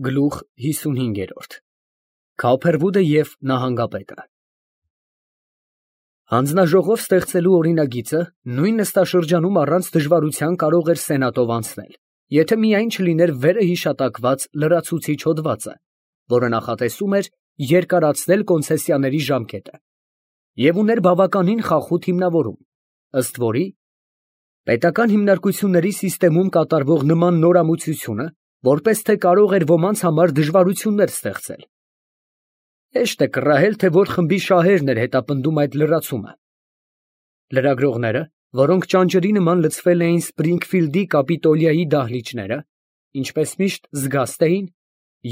Գլուխ 55 Քոփերվուդը և նահանգապետը Հանձնաժողով ստեղծելու օրինագիծը նույն նստաշրջանում առանց դժվարության կարող էր սենատով անցնել, եթե միայն չլիներ վերը հիշատակված լրացուցիչ հոդվածը, որը նախատեսում էր երկարացնել կոնցեսիաների ժամկետը, և ուներ բավականին խախուտ հիմնավորում, ըստ որի պետական հիմնարկությունների սիստեմում կատարվող նման նորամուծությունը որպես թե կարող էր ոմանց համար դժվարություններ ստեղծել։ Հեշտ է կռահել, թե որ խմբի շահերն էր հետապնդում այդ լրացումը։ Լրագրողները, որոնք ճանճրի նման լցվել էին Սպրինգֆիլդի կապիտոլիայի դահլիճները, ինչպես միշտ զգաստ էին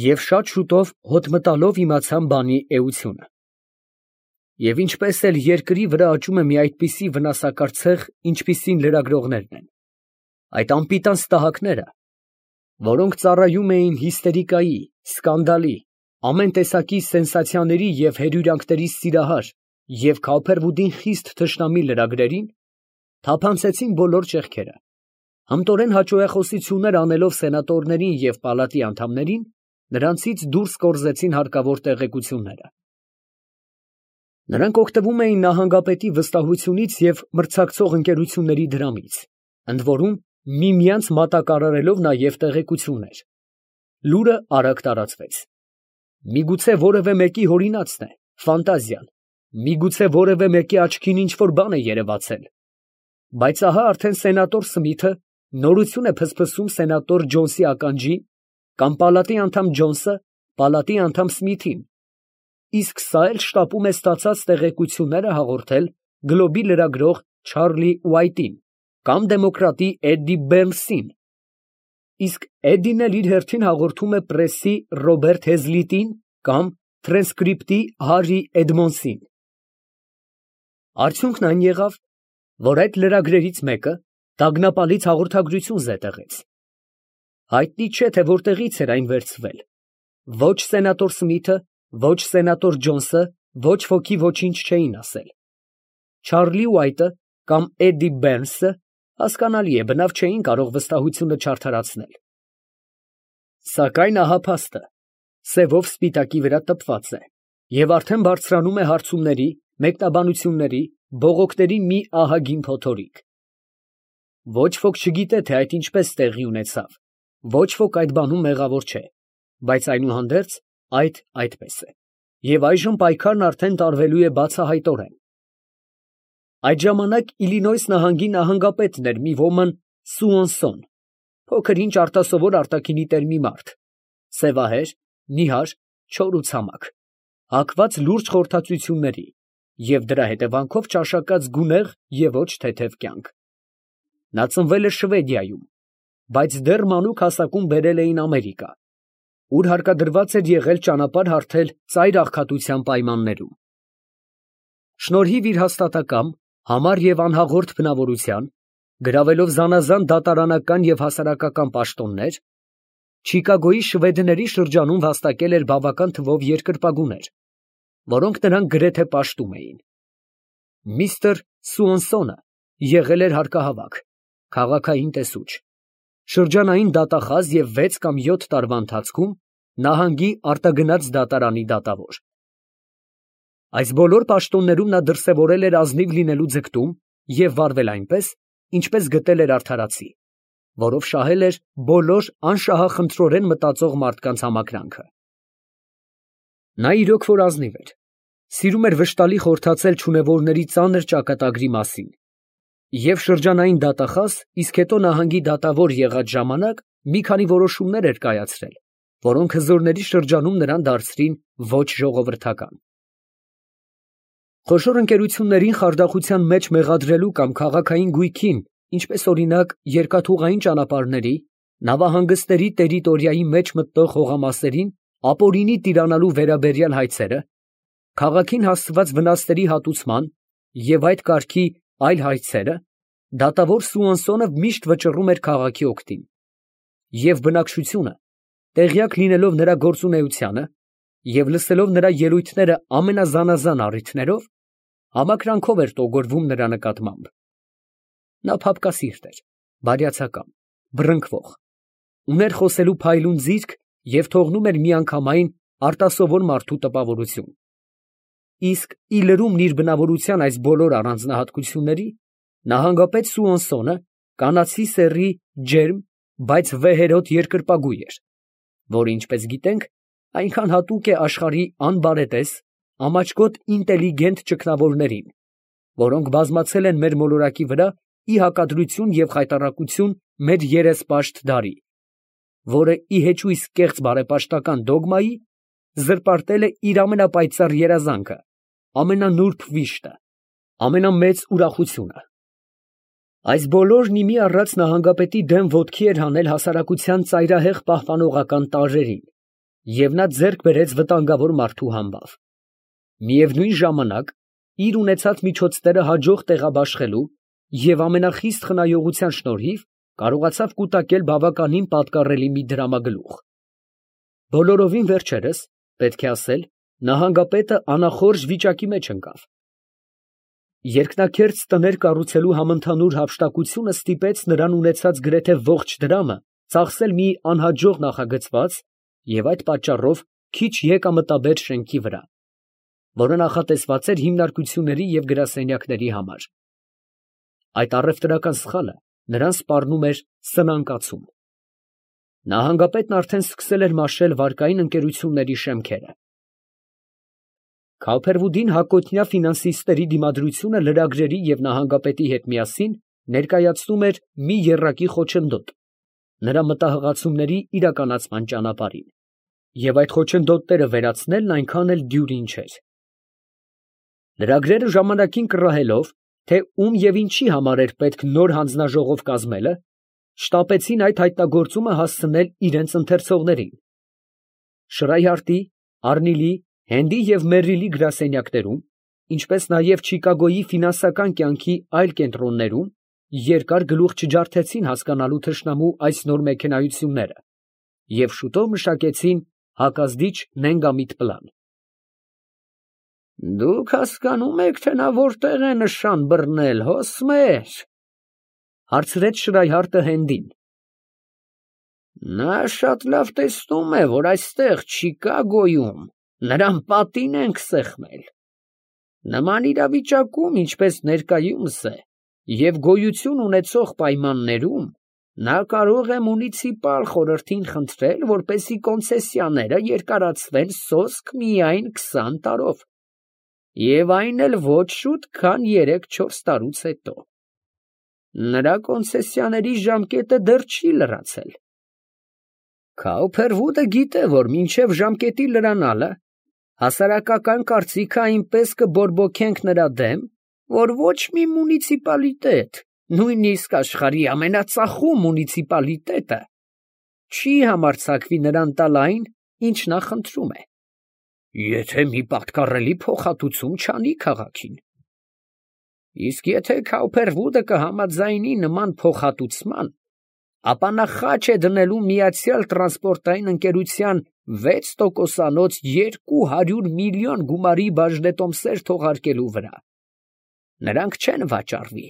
և շատ շուտով հոտ մտալով իմացան բանի էությունը։ Եվ ինչպես էլ երկրի վրա աճում է մի այդպիսի վնասակար ցեղ, ինչպիսին լրագրողներն են, այդ անպիտան ստահակները, որոնք ծառայում էին հիստերիկայի, սկանդալի, ամեն տեսակի սենսացիաների և հերյուրանքների սիրահար և Քոփերվուդին խիստ թշնամի լրագրերին, թափանցեցին բոլոր ճեղքերը, հմտորեն հաճոյախոսություններ անելով սենատորներին և պալատի անդամներին, նրանցից դուրս կորզեցին հարկավոր տեղեկությունները։ Նրանք օգտվում էին նահանգապետի վստահությունից և մրցակցող ընկերությունների դրամից, ընդ որում միմյանց մատակարարելով նաև տեղեկություններ։ Լուրը արագ տարածվեց։ Միգուցե որևէ մեկի հորինածն է, ֆանտազիան, միգուցե որևէ մեկի աչքին ինչ֊որ բան է երևացել, բայց ահա արդեն սենատոր Սմիթը նորություն է փսփսում սենատոր Ջոնսի ականջին կամ պալատի անդամ Ջոնսը պալատի անդամ Սմիթին, իսկ սա էլ շտապում է ստացած տեղեկությունները հաղորդել Գլոբի լրագրող Չարլի Ուայթին կամ դեմոկրատի Էդդի Բեռնսին, իսկ Էդդին էլ իր հերթին հաղորդում է պրեսի Ռոբերտ Հեզլիտին կամ Թրանսկրիպտի Հարրի Էդմոնսին։ Արդյունքն այն եղավ, որ այդ լրագրերից մեկը տագնապալից հաղորդագրություն զետեղեց։ Հայտնի չէ, թե որտեղից էր այն վերցվել. ոչ սենատոր Սմիթը, ոչ սենատոր Ջոնսը ոչ ոքի ոչինչ չէին ասել։ Չարլի Ուայթը կամ Էդդի Բեռնսը, հասկանալի է, բնավ չէին կարող վստահությունը չարդարացնել։ Սակայն ահա փաստը սևով սպիտակի վրա տպված է և արդեն բարձրանում է հարցումների, մեկնաբանությունների, բողոքների մի ահագին փոթորիկ։ Ոչ ոք չգիտե, թե այդ ինչպես տեղի ունեցավ, ոչ ոք այդ բանում մեղավոր չէ, բայց այնուհանդերձ այդ այդպես է, և այժմ պայքարն արդեն տարվելու է բացահայտորեն։ Այդ ժամանակ Իլինոյս նահանգի նահանգապետն էր մի ոմն Սուոնսոն, փոքր-ինչ արտասովոր արտաքինի տեր մի մարդ, սևահեր, նիհար, չոր ու ցամաք, հակված լուրջ խորհրդածությունների և դրա հետևանքով ճաշակած գունեղ և ոչ թեթև կյանք։ Նա ծնվել է Շվեդիայում, բայց դեռ մանուկ հասակում բերել էին Ամերիկա, ուր հարկադրված էր եղել ճանապարհ հարթել ծայր աղքատության պայմաններում։ Շնորհիվ իր հաստատակամ, համառ և անհաղորդ բնավորության, գրավելով զանազան դատարանական և հասարակական պաշտոններ, Չիկագոյի շվեդների շրջանում վաստակել էր բավական թվով երկրպագուներ, որոնք նրան գրեթե պաշտում էին։ Միսթր Սուոնսոնը եղել էր հարկահավաք, քաղաքային տեսուչ, շրջանային դատախազ և 6 կամ 7 տարվա ընթացքում նահանգի արտագնաց դատարանի դատավոր։ Այս բոլոր պաշտոններում նա դրսևորել էր ազնիվ լինելու ձգտում և վարվել այնպես, ինչպես գտել էր արդարացի, որով շահել էր բոլոր անշահախնդրորեն մտածող մարդկանց համակրանքը։ Նա իրոք որ ազնիվ էր, սիրում էր վշտալի խորհրդացել չունևորների ծանր ճակատագրի մասին և շրջանային դատախազ, իսկ հետո նահանգի դատավոր եղած ժամանակ մի քանի որոշումներ էր կայացրել, որոնք հզորների շրջանում նրան դարձրին ոչ ժողովրդական։ Խոշոր ընկերություններին խարդախության մեջ մեղադրելու կամ քաղաքային գույքին, ինչպես օրինակ երկաթուղային ճանապարհների, նավահանգստերի տերիտորիայի մեջ մտնող հողամասերին ապօրինի տիրանալու վերաբերյալ հայցերը, քաղաքին հասցված վնասների հատուցման և այդ կարգի այլ հայցերը, դատավոր Սուոնսոնը միշտ վճռում էր քաղաքի օգտին, և բնակչությունը, տեղյակ լինելով նրա գործունեությանը և լսելով նրա ելույթները ամենազանազան առիթներով, համակրանքով էր տոգորվում նրա նկատմամբ։ Նա փափկասիրտ էր, բարյացակամ, բռնկվող, ուներ խոսելու փայլուն ձիրք և թողնում էր միանգամայն արտասովոր մարդու տպավորություն։ Իսկ ի լրումն իր բնավորության այս բոլոր առանձնահատկությունների, նահանգապետ Սուոնսոնը կանացի սեռի ջերմ, բայց վեհերոտ երկրպագու էր, որը, ինչպես գիտենք, այնքան հատուկ է աշխարհի անբարետես, ամաչկոտ ինտելիգենտ ճգնավորներին, որոնք բազմացել են մեր մոլորակի վրա ի հակադրություն և խայտառակություն մեր երեսպաշտ դարի, որը ի հեչույս կեղծ բարեպաշտական դոգմայի զրպարտել է իր ամենապայծառ երազանքը, ամենանուրբ վիշտը, ամենամեծ ուրախությունը։ Այս բոլորն ի մի առած նահանգապետի դեմ ոտքի էր հանել հասարակության ծայրահեղ պահպանողական տարրերին, և նա ձեռք բերեց վտանգավոր մարդու համբավ։ Միևնույն ժամանակ, իր ունեցած միջոցները հաջող տեղաբաշխելու և ամենախիստ խնայողության շնորհիվ կարողացավ կուտակել բավականին պատկառելի մի դրամագլուխ։ Բոլորովին վերջերս, պետք է ասել, նահանգապետը անախորժ վիճակի մեջ ընկավ։ Երկնաքերթ տներ կառուցելու համընդհանուր հափշտակությունը ստիպեց նրան ունեցած գրեթե ողջ դրամը ծախսել մի անհաջող նախագծված և այդ պատճառով քիչ եկամտաբեր շենքի վրա, որը նախատեսված էր հիմնարկությունների և գրասենյակների համար։ Այդ առևտրական սխալը նրան սպառնում էր սնանկացում։ Նահանգապետն արդեն սկսել էր մաշել վարկային ընկերությունների շեմքերը։ Քավփերվուդին հակոտնյա ֆինանսիստների դիմադրությունը լրագրերի և նահանգապետի հետ միասին ներկայացնում էր մի եռակի խոչընդոտ նրա մտահղացումների իրականացման ճանապարհին, և այդ խոչընդոտները վերացնելն այնքան էլ դյուրին չէր։ Լրագրերը ժամանակին կռահելով, թե ում և ինչի համար էր պետք նոր հանձնաժողով կազմելը, շտապեցին այդ հայտնագործումը հասցնել իրանց ընթերցողներին։ Շրայհարտի, Արնիլի, Հենդի և Մերրիլի գրասենյակներում, ինչպես նաև Չիկագոյի ֆինանսական կյանքի այլ կենտրոններում երկար գլուխ չջարդեցին հասկանալու թշնամու այս նոր մեքենայությունները և շուտով մշակեցին հակազդիչ նենգամիտ պլան։ «Դուք հասկանում եք, թե նա որտեղ է նշան բռնել, հոսմեր, ֊ հարցրեց Շրայհարտը Հենդին։ ֊ Նա շատ լավ տեսնում է, որ այստեղ Չիկագոյում նրան պատին ենք սեղմել։ Նման իրավիճակում, ինչպես ներկայումս է, և գոյություն ունեցող պայմաններում, նա կարող է մունիցիպալ խորհրդին խնդրել, որպեսզի կոնցեսիաները երկարացվեն սոսկ միայն 20 տարով, և այն էլ ոչ շուտ, քան 3-4 տարուց հետո։ Նրա կոնցեսիաների ժամկետը դեռ չի լրացել։ Քաուփերվուդը գիտե, որ մինչև ժամկետի լրանալը հասարակական կարծիքը այնպես կբորբոքենք նրա դեմ, որ ոչ մի մունիցիպալիտետ, նույնիսկ աշխարհի ամենածախում մունիցիպալիտետը, չի համարձակվի նրան տալ այն, ինչ նա խնդրում է, եթե մի պատկառելի փոխհատուցում չանի քաղաքին։ Իսկ եթե Քաուփերվուդը կհամաձայնի նման փոխհատուցման, ապա նա խաչ է դնելու Միացյալ տրանսպորտային ընկերության 6%-անոց 200 միլիոն գումարի բաժնետոմսեր թողարկելու վրա։ Նրանք չեն վաճառվի։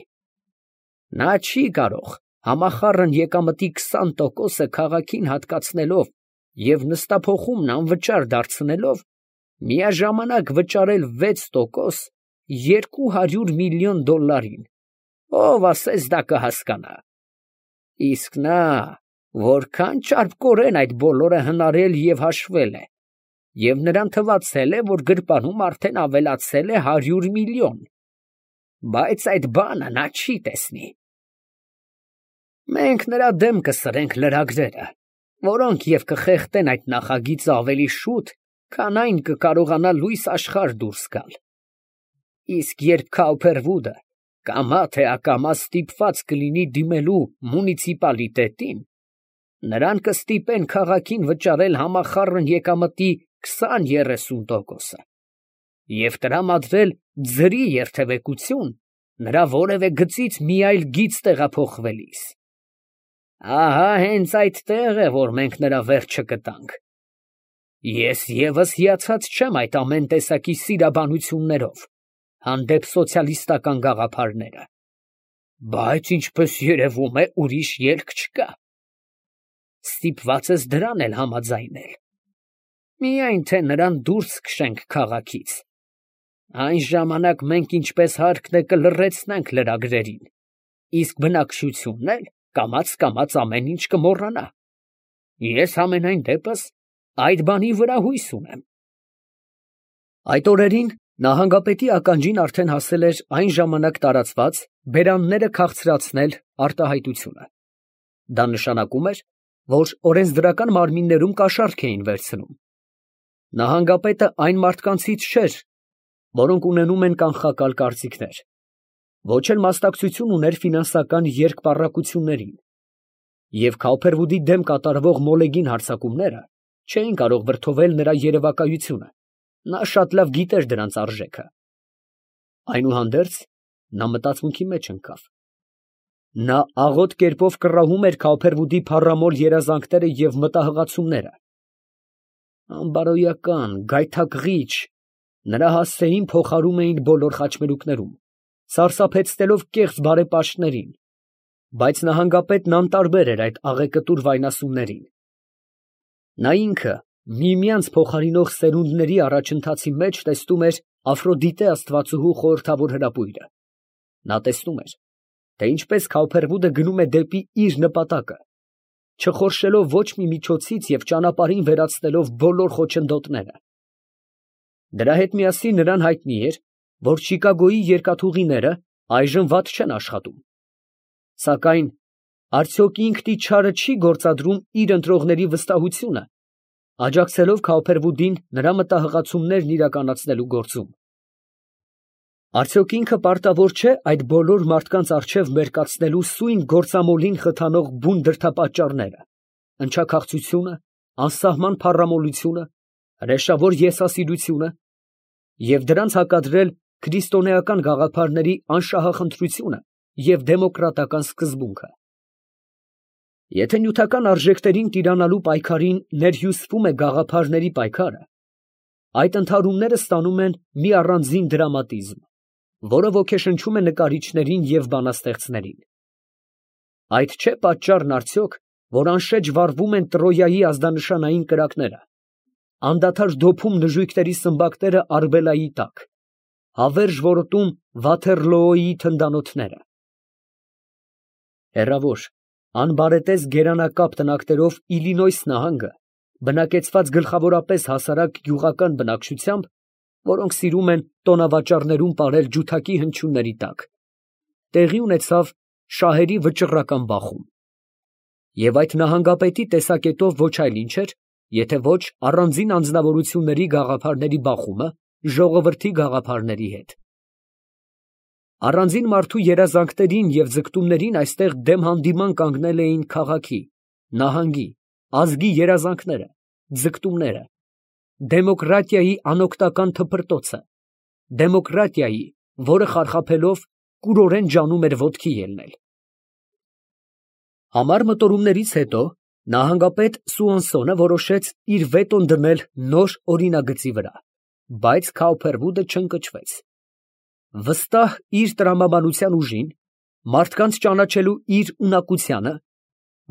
Նա չի կարող համախառն եկամտի 20%-ը քաղաքին հատկացնելով և նստափոխումն անվճար դարձնելով, միաժամանակ վճարել 6% $200 միլիոն։ Ով ասես դա կհասկանա։ Իսկ նա որքան ճարպկորեն այդ բոլորը հնարել և հաշվել է, և նրան թվացել է, որ գրպանում արդեն ավելացել է 100 միլիոն, բայց այդ բանը նա չի տեսնի։ Մենք նրա դեմ կսրենք լրագրերը, որոնք և կխեղդեն այդ նախագիծը ավելի շուտ, քան այն կկարողանա լույս աշխարհ դուրս գալ։ Իսկ երբ Քաուփերվուդը կամա թե ակամա ստիպված կլինի դիմելու մունիցիպալիտետին, նրան կստիպեն քաղաքին վճարել համախառն եկամտի 20-30%, և տրամադրել ձրի երթևեկություն նրա որևէ գծից մի այլ գիծ տեղափոխվելիս։ Ահա հենց այդտեղ է, որ մենք նրա վերջը կտանք։ Ես ևս հիացած չեմ այդ ամեն տեսակի սիրաբանություններով հանդեպ սոցիալիստական գաղափարները, բայց ինչպես երևում է, ուրիշ ելք չկա։ Ստիպված ես դրան էլ համաձայնել։ Միայն թե նրան դուրս քշենք քաղաքից։ Այն ժամանակ մենք ինչպես հարկն է կլռեցնենք լրագրերին, իսկ բնակչությունն էլ կամաց ամեն ինչ կմոռանա։ Ես համենայն դեպս այդ բանի վրա հույս ունեմ։ Այդ օրերին նահանգապետի ականջին արդեն հասել էր այն ժամանակ տարածված բերանները քաղցրացնել արտահայտությունը։ Դա նշանակում էր, որ օրենսդրական մարմիններում կաշառք էին վերցնում։ Նահանգապետը այն մարդկանցից չէր, որոնք ունենում են կանխակալ կարծիքներ, ոչ էլ մասնակցություն ուներ ֆինանսական երկպառակություններին, և Քауփերվուդի դեմ կատարվող մոլեգին հարձակումները չէին կարող վրդովել նրա երևակայությունը, նա շատ լավ գիտեր դրանց արժեքը։ Այնուհանդերձ, նա մտածմունքի մեջ ընկավ։ Նա աղոտ կերպով կռահում էր Քауփերվուդի փառամոլ երազանքները և մտահղացումները։ Անբարոյական, գայթակղիչ, նրա հասցեին փոխարում էին բոլոր խաչմերուկներում, սարսափեցնելով կեղծ բարեպաշտներին, բայց նահանգապետն անտարբեր էր այդ աղեկտուր վայնասուններին։ Նա ինքը միմյանց փոխարինող սերունդների առաջընթացի մեջ տեսնում էր Աֆրոդիտե աստվածուհու խորհրդավոր հրապույրը։ Նա տեսնում էր, թե ինչպես Քауփերվուդը գնում է դեպի իր նպատակը, չխորշելով ոչ մի միջոցից և ճանապարհին վերացնելով բոլոր խոչընդոտները։ Դրա հետ միասին նրան հայտնի էր, որ Չիկագոյի երկաթուղիները այժմ վատ չեն աշխատում։ Սակայն արդյոք ինքն ի չարը չի գործադրում իր ընտրողների վստահությունը, աջակցելով Քауփերվուդին նրա մտահղացումներն իրականացնելու գործում։ Արդյոք ինքը պարտավոր չէ այդ բոլոր մարդկանց առջև մերկացնելու սույն գործամոլին խթանող բուն դրդապատճառները, ընչաքաղցությունը, անսահման փառամոլությունը, հրեշավոր եսասիրությունը և դրանց հակադրել քրիստոնեական գաղափարների անշահախնդրությունը և դեմոկրատական սկզբունքը։ Եթե նյութական արժեքներին տիրանալու պայքարին ներհյուսվում է գաղափարների պայքարը, այդ ընդհարումները ստանում են մի առանձին դրամատիզմ, որը ոգեշնչում է նկարիչներին և բանաստեղծներին։ Այդ չէ պատճառն արդյոք, որ անշեջ վառվում են Տրոյայի ազդանշանային կրակները, անդադար դոփում նժույգների սմբակները Արբելայի տակ, հավերժ որոտում Վաթերլոոյի թնդանոթները։ Հեռավոր, անբարետես գերանակապ տնակներով Իլինոյս նահանգը բնակեցված գլխավորապես հասարակ գյուղական բնակչությամբ, որոնք սիրում են տոնավաճառներում պարել ջութակի հնչյունների տակ, տեղի ունեցավ շահերի վճռական բախում։ Եվ այդ նահանգապետի տեսակետով ոչ այլ ինչ էր, եթե ոչ առանձին անձնավորությունների գաղափարների բախումը ժողովրդի գաղափարների հետ։ Առանձին մարդու երազանքներին և ձգտումներին այստեղ դեմ հանդիման կանգնել էին քաղաքի, նահանգի, ազգի երազանքները, ձգտումները, դեմոկրատիայի անօգնական թփրտոցը, դեմոկրատիայի, որը խարխափելով կուրորեն ջանում էր ոտքի ելնել։ Համար մտորումներից հետո նահանգապետ Սուանսոնը որոշեց իր վետոն դնել նոր օրինագծի վրա, բայց Քауփերվուդը չընկճվեց։ Վստահ իր տրամաբանության ուժին, մարդկանց ճանաչելու իր ունակությանը,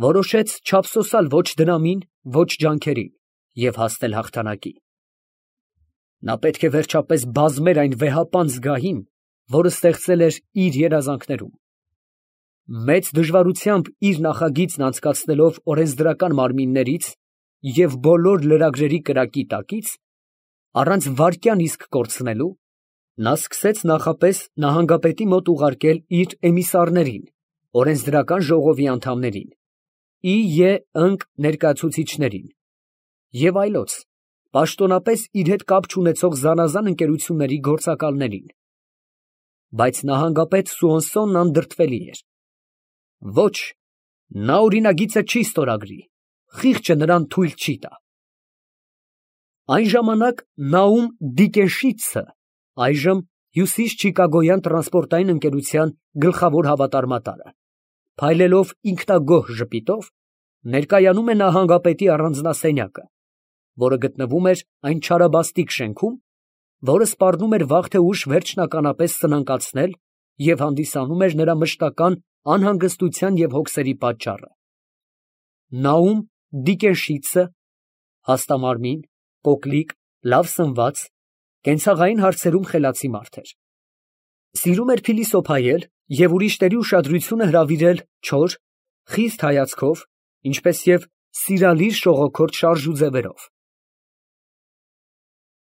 որոշեց չափսոսալ ոչ դրամին, ոչ ջանքերին և հասնել հաղթանակի։ Նա պետք է վերջապես բազմեր այն վեհապան զգահին, որը ստեղծել էր իր երազանքներում։ Մեծ դժվարությամբ իր նախագիծն անցկացնելով օրենսդրական մարմիններից և բոլոր լրագրերի կրակի տակից, առանց վայրկյան իսկ կորցնելու, նա սկսեց նախապես նահանգապետի մոտ ուղարկել իր էմիսարներին, օրենսդրական ժողովի անդամներին, ի ընկ ներկայացուցիչներին և այլոց, պաշտոնապես իր հետ կապ չունեցող զանազան ընկերությունների գործակալներին։ Բայց նահանգապետ Սուանսոնն անդրդվելի էր։ Ոչ, նա օրինագիծը չի ստորագրի, խիղճը նրան թույլ չի տա։ Այն ժամանակ Նաում Դիկենշիցը, այժմ Հյուսիս Չիկագոյան տրանսպորտային ընկերության գլխավոր հավատարմատարը, փայլելով ինքնագոհ ժպիտով, ներկայանում է նահանգապետի առանձնասենյակը, որը գտնվում էր այն չարաբաստիկ շենքում, որը սպառնում էր վաղ թե ուշ վերջնականապես սնանկացնել և հանդիսանում էր նրա մշտական անհանգստության և հոգսերի պատճառը։ Նաում Դիկենշիցը, հաստամարմին, կոկլիկ, լավ սնված, կենցաղային հարցերում խելացի մարդ էր։ Սիրում էր փիլիսոփայել և ուրիշների ուշադրությունը հրավիրել չոր, խիստ հայացքով, ինչպես և սիրալիր շողոքորթ շարժու ձևերով։